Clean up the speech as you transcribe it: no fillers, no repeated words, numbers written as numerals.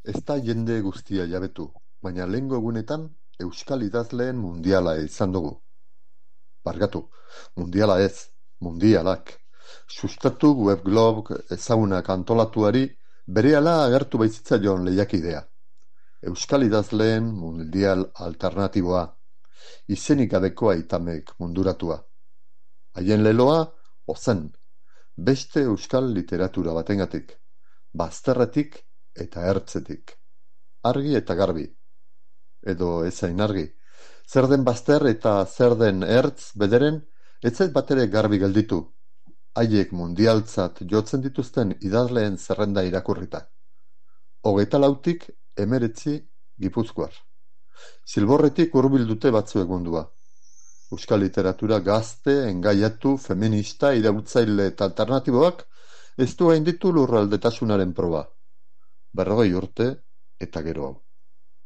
Ez da jende guztia jabetu, baina lehengo egunetan euskal idazleen mundiala izan dugu. Barkatu, mundiala ez, mundialak. Sustatu webblog ezagunak antolatuari berehala agertu baitzitzaion lehiakidea. Euskal idazleen mundial alternatiboa, izenik gabeko aitamek munduratua. Haien leloa, ozen, beste euskal literatura batengatik, bazterretik eta ertzetik. Argi eta garbi. Edo ezain argi. Zer den bazter eta zer den ertz bederen, ez zait batere garbi gelditu. Haiek mundialtzat jotzen dituzten idazleen zerrenda irakurrita. 24tik 19 Gipuzkoar. Zilborretik hurbil dute batzuek mundua. Euskal literatura gazte, engaiatu, feminista, iraultzaile eta alternatiboak ez du gainditu lurraldetasunaren proba. 40 urte eta gero hau.